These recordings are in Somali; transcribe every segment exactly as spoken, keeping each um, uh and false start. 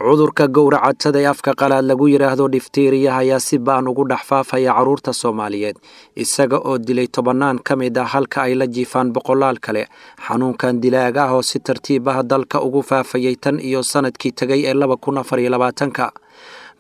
Cudurka gowracatada ee afka qalaad lagu yidhaahdo difteriya ayaa si ba'an ugu dhex faafaya carruurta Soomaaliyeed, isaga oo dilay tobannaan ka mid ah halka ay la jiifaan boqolaal kale. Xanuunkan dilaaga ah oo si tartiib ah dalka ugu faafayay tan iyo sanadkii tegay ee laba kun afar iyo labaatanka.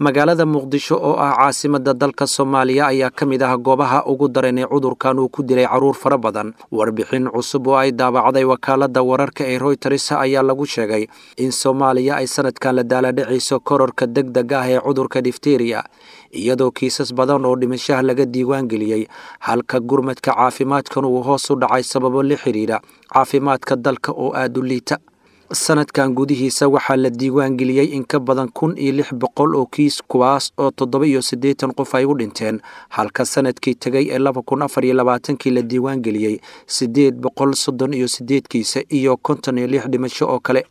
Magaalada Muqdisho oo ah caasimada dalka Soomaaliya ayaa ka mid ah goobaha ugu daran ee cudurkan uu ku dilay carruur fara badan. Warbixin cusub oo ay daabacday wakaaladda wararka ee Reuters ayaa lagu sheegay in Soomaaliya ay sanadkan la daaladhacayso kororka degdeg ah ee cudurka difteriya, iyadoo kiisas badan oo dhimashaha laga diiwaan geliyey, halka gurmadka caafimaadkan uu hoos u dhacay sababo la xiriira caafimaadka dalka oo aada u liita. Sanadkan gudihiisa waxaa la diiwaan geliyey in ka badan kun iyo lix boqol oo kiis, kuwaas oo toddoba iyo siddeetan qof ay u dhinteen, halka sanadkii tegay ee laba kun afar iyo labaatankii la diiwaan geliyey siddeed boqol soddon iyo siddeed kiisa iyo konton iyo lix dhimasho oo kale.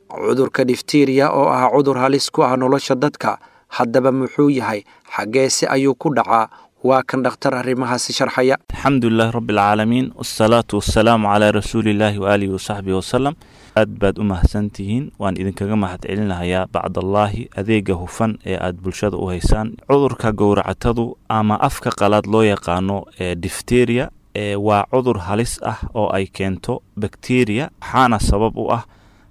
Cudurka difteriya oo ah cudur halis ku ah nolosha dadka, haddaba muxuu yahay? Xaggeese ayuu ku dhacaa? Waa kan dhakhtar arrimahaasi sharxaya. Alxamdulilahi rabbi alcaalamiin, wasalaatu wasalaamu calaa rasuulillaahi waaalihi wasaxbihi wasalam. Aad baad u mahadsantihiin, waan idinkaga mahad celinahayaa bacdallaahi adeega hufan ee aad bulshada u haysaan. Cudurka gowracatadu ama afka qalaad loo yaqaano ee difteria ee waa cudur halis ah oo ay keento bakteriya, waxaana sabab u ah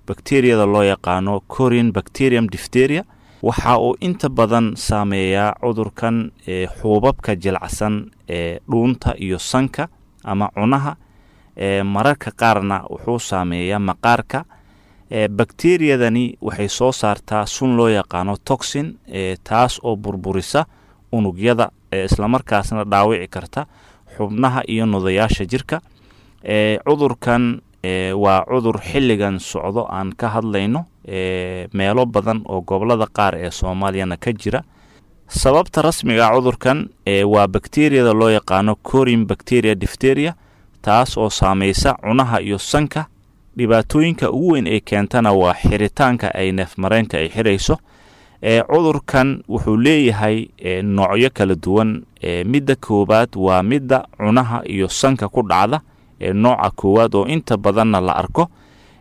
bakteriyada loo yaqaano Corin bacterium difteria. Waxa uu inta badan saameeyaa cudurkan ee xuubabka jilacsan ee dhuunta iyo sanka ama cunaha, ee mararka qaarna wuxuu saameeyaa maqaarka. ee bakteriyadani waxay soo saartaa sun loo yaqaano toxin, ee taas oo burburisa unugyada ee islamarkaasna dhaawici karta xubnaha iyo nudayaasha jirka. ee cudurkan ee waa cudur xilligan socdo aan ka hadlayno ee meelo badan oo gobolada qaar ee Soomaaliyana ka jira. Sababta rasmiga ah cudurkan ee waa bakteriyada loo yaqaano Corin bacteria difteria, taas oo saameysa cunaha iyo sanka. Dhibaatooyinka ugu weyn ee keentana waa xiritaanka ay neefmareenka ay xirayso. ee cudurkan wuxuu leeyahay ee noocyo kala duwan. ee midda koowaad waa midda cunaha iyo sanka ku dhacda, ee nooca koowaad oo inta badanna la arko.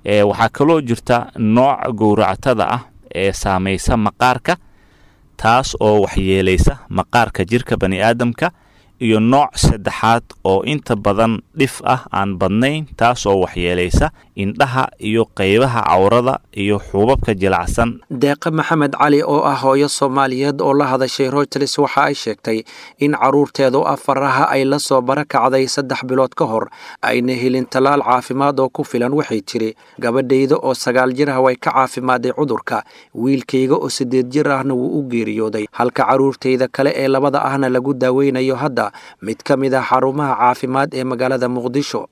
ee waxaa kaloo jirta nooca gowracatada ah ee saameysa maqaarka, taas oo waxyeeleysa maqaarka jirka bani'aadamka, iyo nooc saddexaad oo inta badan dhif ah aan badnayn, taas oo waxyeeleysa indhaha iyo qaybaha cawrada iyo xuubabka jilacsan. Deeqa Maxamed Cali oo ah hooyo Soomaaliyeed oo la hadashay Reuters waxa ay sheegtay in carruurteedu afaraha ay la soo barakacday saddex bilood ka hor ayna helin tallaal caafimaad oo ku filan. Waxay tiri, gabadhayda oo sagaal jir ah way ka caafimaaday cudurka, wiilkayga oo siddeed jir ahna wuu u geeriyooday, halka carruurtayda kale ee labada ahna lagu daaweynayo hadda mid ka mid ah xarumaha caafimaad ee magaalada Muqdisho.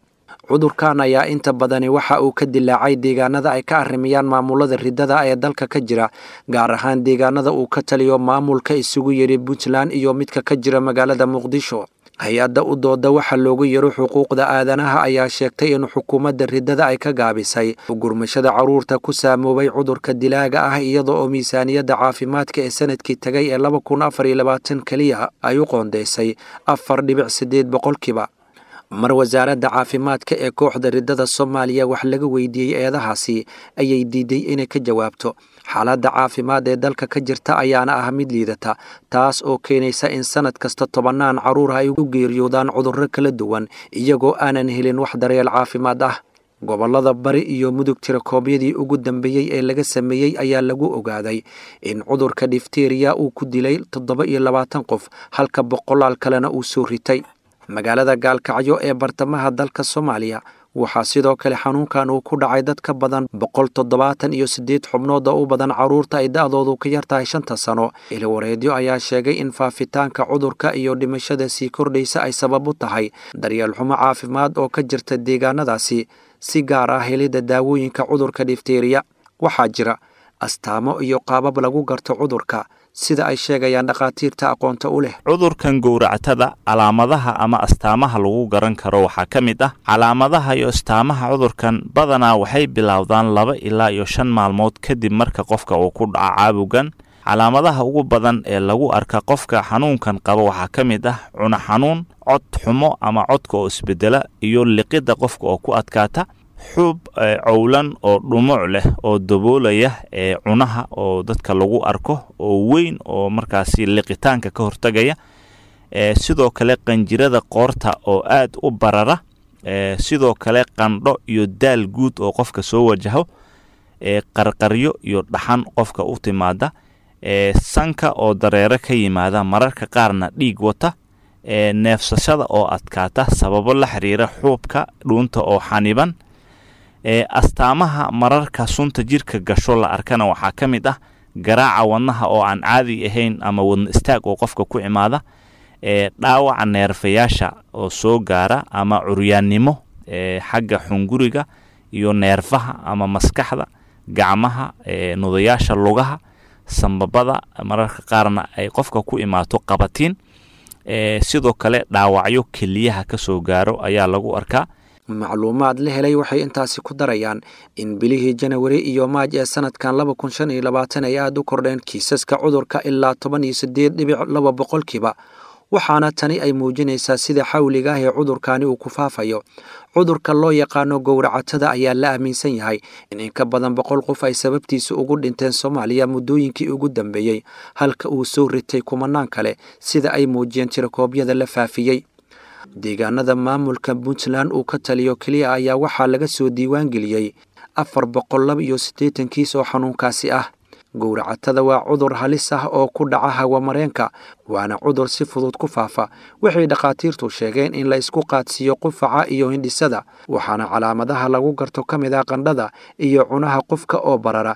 Cudurkan ayaa inta badani waxa uu ka dilaacay deegaanada ay ka arrimiyaan maamulada riddada ee dalka ka jira, gaar ahaan deegaanada uu ka taliyo maamulka isugu yidhi Puntland iyo midka ka jira magaalada Muqdisho. Hay-adda u dooda waxa loogu yaro xuquuqda aadanaha ayaa sheegtay in xukuumadda riddada ay ka gaabisay gurmashada carruurta ku saamoobay cudurka dilaaga ah, iyada oo miisaaniyadda caafimaadka ee sanadkii tagay ee laba kun afar iyo labaatan keliya ay u qoondeysay afar dhibic siddeed boqolkiiba. Mar wasaaradda caafimaadka ee kooxda riddada Soomaaliya wax laga weydiiyey eedahaasi ayay diiday inay ka jawaabto. Xaaladda caafimaad ee dalka ka jirta ayaana ah mid liidata, taas oo keenaysa in sanad kasta tobannaan carruur ay u geeriyoodaan cudurro kala duwan iyagoo aanan helin wax daryeel caafimaad ah. Gobollada Bari iyo Mudug tirakoobyadii ugu dambeeyey ee laga sameeyey ayaa lagu ogaaday in cudurka difteriya uu ku dilay toddoba iyo labaatan qof, halka boqolaal kalena uu soo ritay. Magaalada Gaalkacyo ee bartamaha dalka Soomaaliya waxaa sidoo kale xanuunkan uu ku dhacay dad ka badan boqol toddobaatan iyo siddeed xubnood oo u badan carruurta ay da'doodu ka yartahay shanta sano. Ilwareedyo ayaa sheegay in faafitaanka cudurka iyo dhimashada sii kordhaysa ay sabab u tahay daryeel xumo caafimaad oo ka jirta deegaanadaasi, si gaar ah helidda daawooyinka cudurka difteriya. Waxaa jira astaamo iyo qaabab lagu garto cudurka, sida ay sheegayaan dhakhaatiirta aqoonta u leh. Cudurkan gowracatada calaamadaha ama astaamaha lagu garan karo waxaa ka mid ah calaamadaha iyo astaamaha cudurkan badanaa waxay bilowdaan laba ilaa iyo shan maalmood kadib marka qofka uu ku dhaco caabugan. Calaamadaha ugu badan ee lagu arka qofka xanuunkan qaba waxaa ka mid ah cuno xanuun, cod xumo ama codka oo isbedela, iyo liqidda qofka oo ku adkaata. Xuub cowlan oo dhumuc leh oo daboolaya cunaha oo dadka lagu arko oo weyn oo markaasi liqitaanka ka hortagaya. Sidoo kale qanjirada qoorta oo aad u barara. Sidoo kale qandho iyo daal guud oo qofka soo wajaho, qarqaryo iyo dhaxan qofka u timaada, sanka oo dareere ka yimaada, mararka qaarna dhiig wata, neefsashada oo adkaata sababo la xiriira xuubka dhuunta oo xaniban. Astaamaha mararka sunta jirka gasho la arkana waxaa ka mid ah garaaca wadnaha oo aan caadi ahayn ama wadna istaag oo qofka ku imaada, dhaawaca neerfayaasha oo soo gaara ama curyaannimo xagga xunguriga iyo neerfaha ama maskaxda, gacmaha, nudayaasha lugaha, sambabada, mararka qaarna ay qofka ku imaato qabatiin. Sidoo kale dhaawacyo keliyaha ka soo gaaro ayaa lagu arkaa. Macluumaad la helay waxay intaasi ku darayaan in bilihii Janawari iyo Maaj ee sanadkan laba kun shan iyo labaatan ay aada u kordheen kiisaska cudurka ilaa toban iyo siddeed dhibic laba boqolkiiba, waxaana tani ay muujinaysaa sida xawliga ah ee cudurkani uu ku faafayo. Cudurka loo yaqaano gowracatada ayaa la aaminsan yahay in in ka badan boqol qof ay sababtiisa ugu dhinteen Soomaaliya muddooyinkii ugu dambeeyey, halka uu soo ritay kumanaan kale sida ay muujiyeen tirakoobyada la faafiyey. Deegaanada maamulka Puntland uu ka taliyo keliya ayaa waxaa laga soo diiwaan geliyey afar boqol laba iyo siddeetan kiis oo xanuunkaasi ah. Gowracatada waa cudur halis ah oo ku dhaca hawamareenka, waana cudur si fudud ku faafa. Waxay dhakhaatiirtu sheegeen in la isku qaadsiiyo qufaca iyo hindhisada, waxaana calaamadaha lagu garto ka mid ah qandhada iyo cunaha qofka oo barara.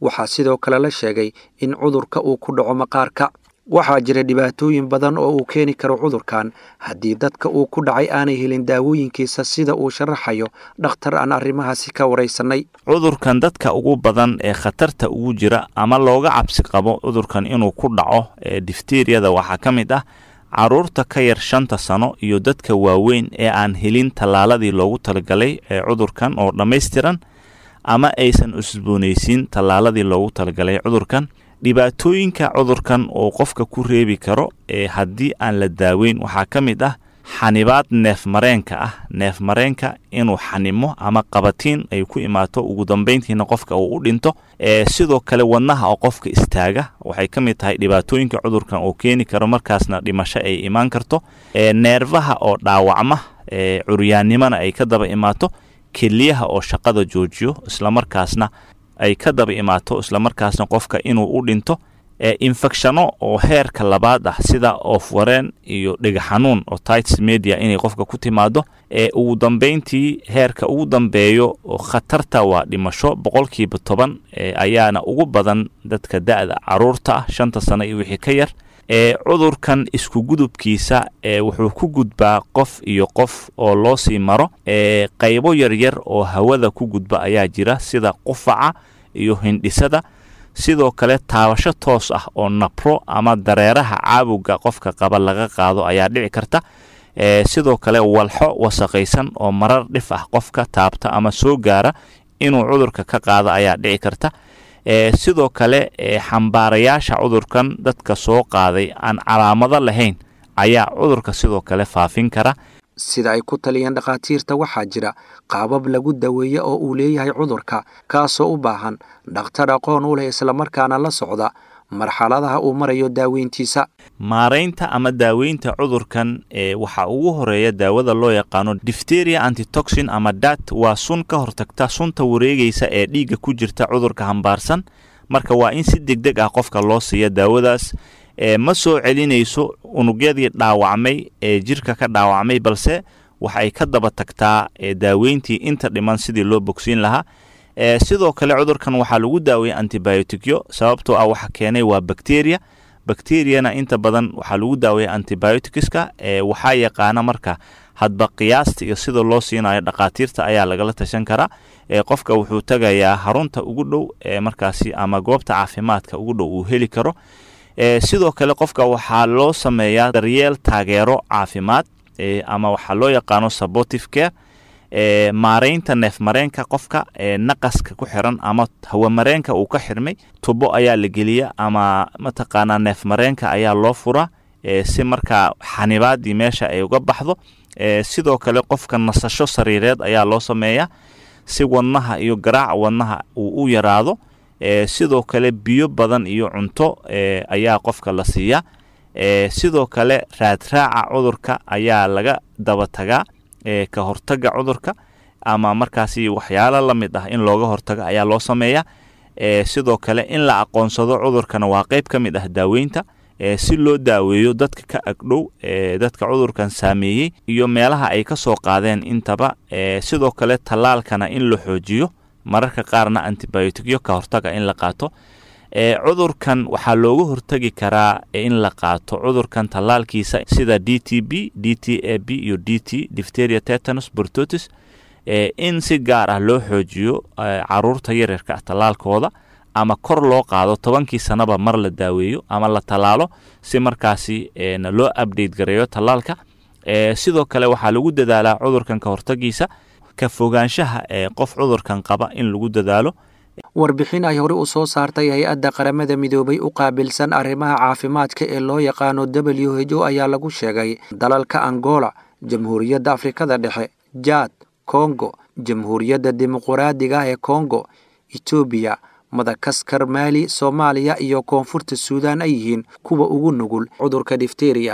Waxaa sidoo kale la sheegay in cudurka uu ku dhaco maqaarka. Waxaa jira dhibaatooyin badan oo uu keeni karo cudurkan haddii dadka uu ku dhacay aanay helin daawooyinkiisa, sida uu sharaxayo dhakhtar aan arrimahaasi ka waraysanay. Cudurkan dadka ugu badan ee khatarta ugu jira ama looga cabsi qabo cudurkan inuu ku dhaco ee difteriyada waxaa ka mid ah caruurta ka yar shanta sano iyo dadka waaweyn ee aan helin tallaaladii loogu talagalay ee cudurkan oo dhammaystiran ama aysan cusboonaysiin tallaaladii loogu talagalay cudurkan. Dhibaatooyinka cudurkan oo qofka ku reebi karo ee haddii aan la daaweyn waxaa ka mid ah xanibaad neefmareenka ah, neefmareenka inuu xanimo ama qabatiin ay ku imaato, ugu dambeyntiina qofka uu u dhinto. Sidoo kale wadnaha oo qofka istaaga waxay ka mid tahay dhibaatooyinka cudurkan uu keeni karo, markaasna dhimasho ay imaan karto. Neerfaha oo dhaawacma, curyaannimona ay ka daba imaato, keliyaha oo shaqada joojiyo islamarkaasna ay ka daba imaato, islamarkaasna qofka inuu u dhinto. Infecshano oo heerka labaad ah sida oofwareen iyo dhega xanuun oo tites media inay qofka ku timaado. Ugu dambeyntii heerka ugu dambeeyo oo khatarta waa dhimasho, boqolkiiba toban ayaana ugu badan dadka da'da caruurta ah shanta sano iyo wixii ka yar. Cudurkan isku gudubkiisa wuxuu ku gudbaa qof iyo qof oo loo sii maro. Qaybo yaryar oo hawada ku gudba ayaa jira sida qufaca iyo hindhisada. Sidoo kale taabasho toos ah oo nabro ama dareeraha caawuga qofka qaba laga qaado ayaa dhici karta. Sidoo kale walxo wasaqaysan oo marar dhif ah qofka taabta ama soo gaara inuu cudurka ka qaado ayaa dhici karta. Sidoo kale xambaarayaasha cudurkan dadka soo qaaday aan calaamado lahayn ayaa cudurka sidoo kale faafin kara. Sida ay ku taliyeen dhakhaatiirta, waxaa jira qaabab lagu daweeyo oo uu leeyahay cudurka, kaasoo u baahan dhakhtar aqoon u leh islamarkaana la socda marxaladaha uu marayo daaweyntiisa. Maaraynta ama daaweynta cudurkan waxaa ugu horeeya daawada loo yaqaano difteria antitoxin ama dat, waa sun ka hortagta sunta wareegaysa ee dhiigga ku jirta cudurka hambaarsan. Marka waa in si degdeg ah qofka loo siiya daawadaas. Ma soo celinayso unugyadii dhaawacmay ee jirka ka dhaawacmay, balse waxay ka daba tagtaa daaweyntii inta dhiman sidii loo bogsiin lahaa. Sidoo kale cudurkan waxaa lagu daaweeyay antibioticyo, sababtoo ah waxa keenay waa bacteria. Bacteriana inta badan waxaa lagu daaweeya antibioticska. Waxaa yaqaana marka hadba qiyaasta iyo sida loo siinayo dhakhaatiirta ayaa lagala tashan karaa. Qofka wuxuu tagayaa harunta ugu dhow ee markaasi ama goobta caafimaadka ugu dhow uu heli karo. Sidoo kale qofka waxaa loo sameeyaa daryeel taageero caafimaad ama waxaa loo yaqaano supportive care. Maaraynta neefmareenka qofka naqaska ku xiran ama hawamareenka uu ka xirmay tubo ayaa la geliya ama mataqaanaa neefmareenka ayaa loo furaa si markaa xanibaadii meesha ay uga baxdo. Sidoo kale qofka nasasho sariireed ayaa loo sameeyaa. si wadnaha iyo garaaca wadnaha uu u yaraado. Sidoo kale biyo badan iyo cunto ayaa qofka la siiyaa. Sidoo kale raadraaca cudurka ayaa laga daba tagaa, ka hortaga cudurka ama markaasi waxyaalo la mid ah in looga hortago ayaa loo sameeyaa. Sidoo kale in la aqoonsado cudurkana waa qayb ka mid ah daaweynta, si loo daaweeyo dadka ka agdhow dadka cudurkan saameeyey iyo meelaha ay ka soo qaadeen intaba. Sidoo kale tallaalkana in la xoojiyo, mararka qaarna antibioticyo ka hortaga in la qaato. Cudurkan waxaa looga hortagi karaa in la qaato cudurkan tallaalkiisa sida D T B, D T A B iyo D T, diphtheria, tetanus, pertussis, in si gaar ah loo xoojiyo caruurta yaryarka ah tallaalkooda, ama kor loo qaado tobankii sanaba mar la daaweeyo ama la tallaalo, si markaasi loo update gareeyo tallaalka. Sidoo kale waxaa lagu dadaalaa cudurkan ka hortagiisa, ka fogaanshaha ee qof cudurkan qaba in lagu dadaalo. Warbixin ay hore u soo saartay hay-adda Qaramada Midoobay u qaabilsan arrimaha caafimaadka ee loo yaqaano W H O ayaa lagu sheegay dalalka Angola, Jamhuuriyadda Afrikada Dhexe, Jaad, Kongo, Jamhuuriyadda Dimuquraadiga ee Kongo, Itoobiya, Madagaskar, Maali, Soomaaliya iyo Koonfurta Suudaan ay yihiin kuwa ugu nugul cudurka difteria.